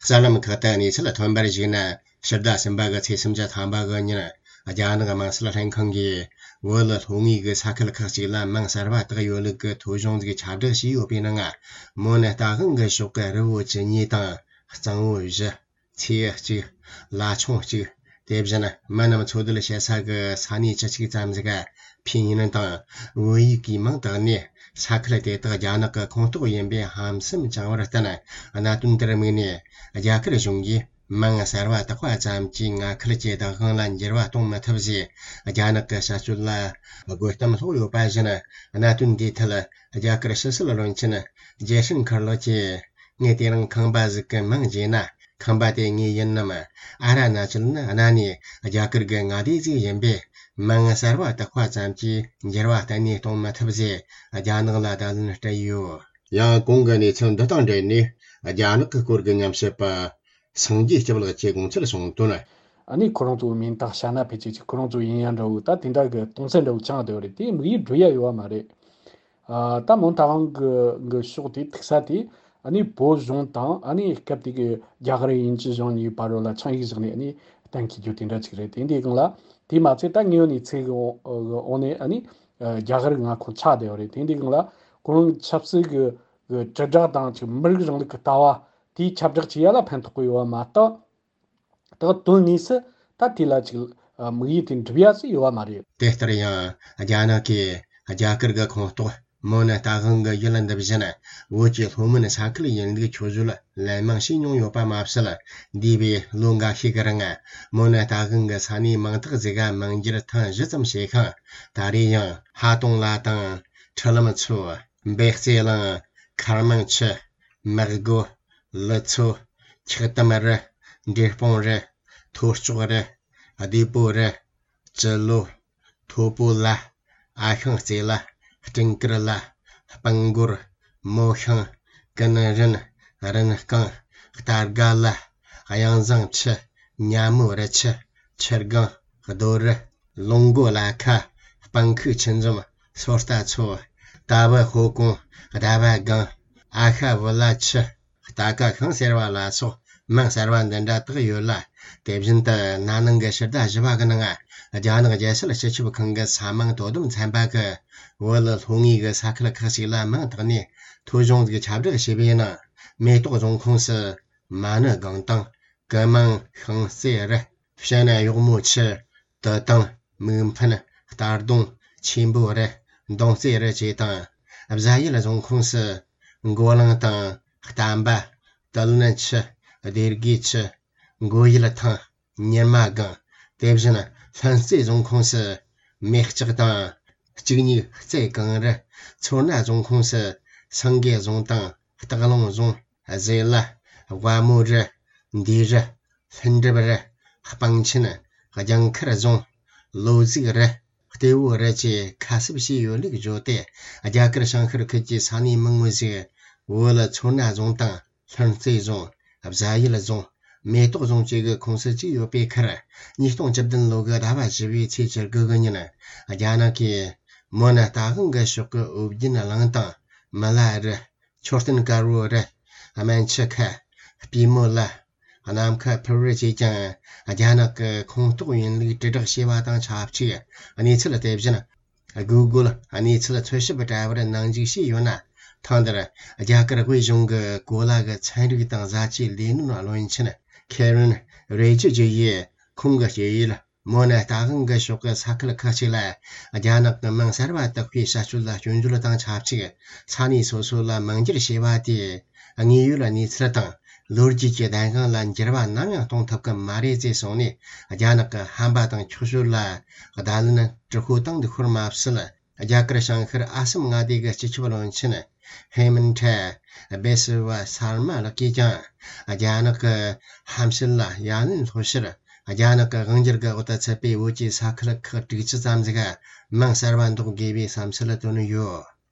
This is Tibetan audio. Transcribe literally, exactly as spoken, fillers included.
གསར་ལམ་ཁག་ཏུ་གནས་ཚུལ་ཐོན་པར་གཞིགས་ན། ཕྱི་ཟླ་གསུམ་པ་གི་ཚེས་སུམ་ཅུ་ཐམ་པ་གི་ཉིན། རྒྱ་ནག་དམངས་སྲིད་ལྷན་ཁང་གིས་བོད་ལྷོ་ངོས་ཀྱི་ས་ཁུལ་ཁག་ཅིག་ལ་མིང་གསར་པ་བཏགས་ཡོད་ལུགས་ཀྱི་ཐོ་གཞུང་ཟིག་ཁྱབ་བསྒྲགས་བྱས་ཡོད་པའི་ནང་། མོན་རྟ་དབང་གི་ཕྱོགས་ཀྱི་རི་བོ་བཅུ་གཉིས་དང་། གཙང་བོ་བཞི། མཚེའུ་གཅིག། ལ་ཆུང་གཅིག། དེ་བཞིན་མི་རྣམས་འཚོ་སྡོད་བྱེད་ས་གི་ས་གནས་བཅུ་གཅིག་ཙམ་ཟིག་ཕིན་ཡུན་དང་བོད་ཡིག་གིས་མིང་བཏགས་ནས། ས་ཁུལ་དེ་དག་རྒྱ་ནག་གི་ཁོངས་གཏོགས་ཡིན་པའི་ཧམ་སེམས་བཅངས་པར་བརྟེན། གནད་དོན་དེར་དམིགས་ནས། རྒྱ་གར་གཞུང་གིས་མིང་གསར་བ་བཏགས་པ་ཙམ་གྱིས་མངའ་ཁུལ་གྱི་བདག་དབང་ལ་འགྱུར་བ་གཏོང་མི་ཐུབ་ཅེས། རྒྱ་ནག་གི་བྱ་སྤྱོད་ལ་དགོད་གཏམ་སློག་ཡོད་པ་བཞིན། གནད་དོན་འདིའི་ཐད་རྒྱ་གར་ཕྱི་སྲིད་བློན་ཆེན་ཇེ་ཤན་ཁར་ལོ་གྱིས། ངས་དེ་རིང་ཁང་པ་ཟིག་གི་མིང་བརྗེས་ན། ཁང་པ་དེ་ངའི་ཡིན་ནམ། ཨ་ར་ན་ཅལ་ནི་གནའ་ནས་རྒྱ་གར་གྱི་མངའ་སྡེ་ཟིག་ཡིན་པས། མིང་གསར་བ་བཏགས་པ་ཙམ་གྱིས་འགྱུར་བ་གཏན་ནས་གཏོང་མི་ཐུབ་ཅེས་རྒྱ་ནག་ལ་བརྡ་ལན་སྤྲད་ཡོད། ཡང་གོང་གི་གནས་ཚུལ་འདི་དང་འབྲེལ་ནས། རྒྱ་ནག་གི་སྐོར་གྱི་ཉམས་ཞིབ་པ་སངས་རྒྱས་སྐྱབས་ལགས་ཀྱིས་དགོངས་ཚུལ་གསུངས་དོན། ཨ་ནི་ཁོ་རང་ཚོའི་མིང་དང་བྱ་ན་ཕལ་ཆེར་གཅིག་ཁོ་རང་ཚོའི་ཡིན་ཡང་འདྲ་བོ། ད་དེ་འདྲ་གི་གཏོང་ཚད་འདྲ་བོ་ཅང་བསྡད་པ་རེད། དེ་དམིགས་ཡུལ་འགྲུབ་ཡ་ཡོད་པ་མ་རེད། ཨ། ད་མོན་རྟ་དབང་གི་གི་ཕྱོགས་དེ་ཐུག་ས་དེ། ཨ་ནི་བོད་གཞུང་དང་ཨ་ནི་སྐབས་དེ་གི་རྒྱ་གར་དབྱིན་ཇི་གཞུང་གཉིས་བར་ལ་ཆིངས་ཡིག་བཞག་ནས། ཨ་ནི་གཏན་འཁེལ་རྒྱུ་དེ་འདྲ་ཅིག་རེད། དེ་འདི་སྒང་ལ། དེ་མ་ཚད་ད་དངོས་ཡོད་གནས་ཚུལ་གི་འོག་ནས། ཨ་ནི་རྒྱ་གར་མངའ་ཁོངས་ཆགས་བསྡད་པ་རེད། དེ་འདི་སྒང་ལ་ཁོ་རང་ཆབ་སྲིད་གི་གི་དྲིལ་བསྒྲགས་དང་ཅིག་མི་རིགས་རིང་ལུགས་ཀྱི་ལྟ་བ་དེ་ཁྱབ་བསྒྲགས་བྱེད་ཡ་ལ་ཕན་ཐོགས་གི་ཡོད་པ་མ་གཏོགས། ད་དོན་དངོས་སུ་ད་དེ་ལ་ཅིག་དམིགས་ཡུལ་དེ་འགྲུབ་ཡ་ཟིག་ཡོད་པ་མ་རེད། དེ་ལྟར་ཡང་རྒྱ་ནག་གིས་རྒྱ་གར་གྱི་ཁོངས་གཏོགས་མོན་རྟ་དབང་གི་ཡུལ་འདི་བཞིན་བོད་ཀྱི་ལྷོ་མོན་ས་ཁུལ་ཡིན་ལུགས་ཆོས་བརྒྱུད་ལན་མང་བྱས་མྱོང་ཡོད་པ་མ་ཟད། འདས་པའི་ལོ་འགའ་ཤས་ཀྱི་རིང་མོན་རྟ་དབང་གི་ས་གནས་མང་དག་ཟིག་ག་མིང་བསྒྱུར་ཐེངས་བཞི་ཙམ་བྱས་ཤིང་། ད་རེས་ཡང་ཧ་ཏོང་ལ་དང་། ཁྲི་ལམ་མཚོ། འབེ་རྩེ་གླིང་། མཁར་མང་ཆུ། མེག་སྒོ། ལི་མཚོ། འཁྱག་དམ་རི། འབྲས་སྤུངས་རི། ཐོ་ལྕོག་རི། བདེ་པོ་རི། ཅི་ལོ། མཐོ་པོ་ལ། ཨ་ཤང་རྩེ་ལ། སྤྲིན་དཀར་ལ། སྤང་སྒོར། མོ་ཤང་། ཀུན་རིན། རིན་རྐང་། རྟ་སྒ་ལ། གཡང་བཟང་ཆུ། ཉ་མོ་རི་ཆུ། ཆུ་སྒང་། རྡོ་རི། ལུང་མགོ་ལ་ཁ། སྤང་ཁུག་ཆུ་འཛོམས། སོ་རྟ་མཚོ། རྟ་བུ་ཧོ་ཀོང་། རྟ་བ་སྒང་། ཨ་ཤ་བུ་ལ་ཆུ། རྟ་ཀ་ཤང་ཟེར་བ་ལ་སོགས་མིང་གསར་བ་འདི་འདྲ་དག་ཡོད་ལ། དེ་བཞིན་དུ་ན་ནིང་གི་ཕྱི་ཟླ་བཞི་པ་གི་ནང་། རྒྱ་ནག་རྒྱལ་སྲིད་སྤྱི་ཁྱབ་ཁང་གི་ས་མིང་དོ་དམ་ཚན་པ་གིས་བོད་ལྷོ་ངོས་ཀྱི་ས་ཁུལ་ཁག་ཅིག་ལ་མིང་བཏགས་ནས་ཐོ་གཞུང་ཟིག་ཁྱབ་བསྒྲགས་བྱས་པའི་ནང་། མེ་ཏོག་རྫོང་ཁོངས་སུ་མ་ཎི་སྒང་དང་། ཀི་མང་ཤིང་རྩེ་རི། བྱ་ན་གཡོག་མོ་ཆུ། དུ་དང་། མིག་འཕེན། རྟ་གདོང་། ཆེན་པོ་རི། མདོང་རྩེ་རི་བཅས་དང་། བྱ་ཡུལ་རྫོང་ཁོངས་སུ། མགོ་གླང་དང་། གཏམ་པ། དུ་ལན་ཆུ། སྡེ་དགེ་ཆུ། མགོ་ཡུལ་ཐང་། ཉི་མ་སྒང་། དེ་བཞིན་ལྷུན་རྩེ་རྫོང་ཁོངས་སུ། མེ་ལྕགས་དང་། གཅིག་གཉིས་རྩེ་གངས་རི། མཚོ་སྣ་རྫོང་ཁོངས་སུ། སེང་གེ་རྫོང་དང་། སྟག་ལུང་རྫོང་། བཟེ་ལ། ཝ་མོ་རི། འདུས་རི། ལྷུན་གྲུབ་རི། སྤང་ཆེན། ལྗང་མཁར་རྫོང་། ལོ་གཟུགས་རི། ལྟེ་བོ་རི་བཅས་ཁ་གསབ་བྱས་ཡོད་ལུགས་བརྗོད་དེ། རྒྱ་གར་བྱང་ཤར་ཁུལ་གྱི་ས་གནས་མང་བོ་ཞིག་བོད་མཚོ་སྣ་རྫོང་དང་། ལྷུན་རྩེ་རྫོང་། བྱ་ཡུལ་རྫོང་། མེ་ཏོག་རྫོང་བཅས་ཀྱི་ཁོངས་སུ་བཅུག་ཡོད་པའི་ཁར། ཉིས་སྟོང་བཅུ་བདུན་ལོ་གི་ཟླ་བ་བཞི་པའི་ཚེས་བཅུ་དགུ་གི་ཉིན། རྒྱ་ནག་གིས་མོན་རྟ་དབང་གི་ཕྱོགས་ཀྱི་ཨོ་རྒྱན་གླིང་དང་། མི་ལ་རི། མཆོད་རྟེན་དཀར་པོ་རི། སྨན་ཆུ་ཁ། པུས་མོ་ལ། ནམ་མཁའ་ཕུར་བུ་བཅས་ཀྱང་རྒྱ་ནག་གི་ཁོངས་གཏོགས་ཡིན་ལུགས་དྲིལ་བསྒྲགས་བྱས་པ་དང་ཆབས་ཅིག། གནས་ཚུལ་དེ་བཞིན་Google་གནས་ཚུལ་འཚོལ་ཞིབ་དྲ་བར་ནང་འཇུག་བྱས་ཡོད་ན། ཐེངས་འདིར་རྒྱ་གར་དབུས་གཞུང་གི་གོ་ལ་གི་ཚན་རིག་དང་བཟའ་བཅའི་ལས་སྣོན་བློན་ཆེན་Kiren Rijiju་ཡིས་ཁོང་གི་སྐྱེས་ཡུལ། མོན་རྟ་དབང་གི་ཕྱོགས་ཀྱི་ས་ཁུལ་ཁག་ཅིག་ལ་རྒྱ་ནག་གི་མིང་གསར་བ་བཏགས་པའི་བྱ་སྤྱོད་ལ་སྐྱོན་བརྗོད་དང་ཆབས་ཅིག། ས་གནས་སོ་སོ་ལ་མིང་བསྒྱུར་བྱས་པ་དེས་དངོས་ཡོད་གནས་ཚུལ་དང་ལོ་རྒྱུས་ཀྱི་བདེན་དཔང་ལ་འགྱུར་བ་ནམ་ཡང་གཏོང་ཐུབ་ཀྱི་མ་རེད་ཅེས་གསུངས་ནས། རྒྱ་ནག་གི་ཧམ་པ་དང་འཁྱོག་བཤད་ལ་བརྡ་ལན་དྲག་པོ་བཏང་འདུག་ཤོར་མ་ཟད། རྒྱ་གར་བྱང་ཤར་ཨ་སམ་མངའ་སྡེ་གི་སྤྱི་ཁྱབ་བློན་ཆེན་ཧེ་མན་ཐ་བེ་སི་བ་སར་མ་ལགས་ཀྱིས་ཀྱང་། རྒྱ་ནག་གི་ཧམ་བཤད་ལ་ཡ་ལན་སློག་ཕྱིར། རྒྱ་ནག་གི་དབང་སྒྱུར་གྱི་འོག་ཏུ་ཚུད་པའི་བོད་ཀྱི་ས་ཁུལ་ཁག་དྲུག་ཅུ་ཙམ་ཞིག་མིང་གསར་བ་འདོགས་དགོས་པའི་བསམ་ཚུལ་བཏོན་ཡོད།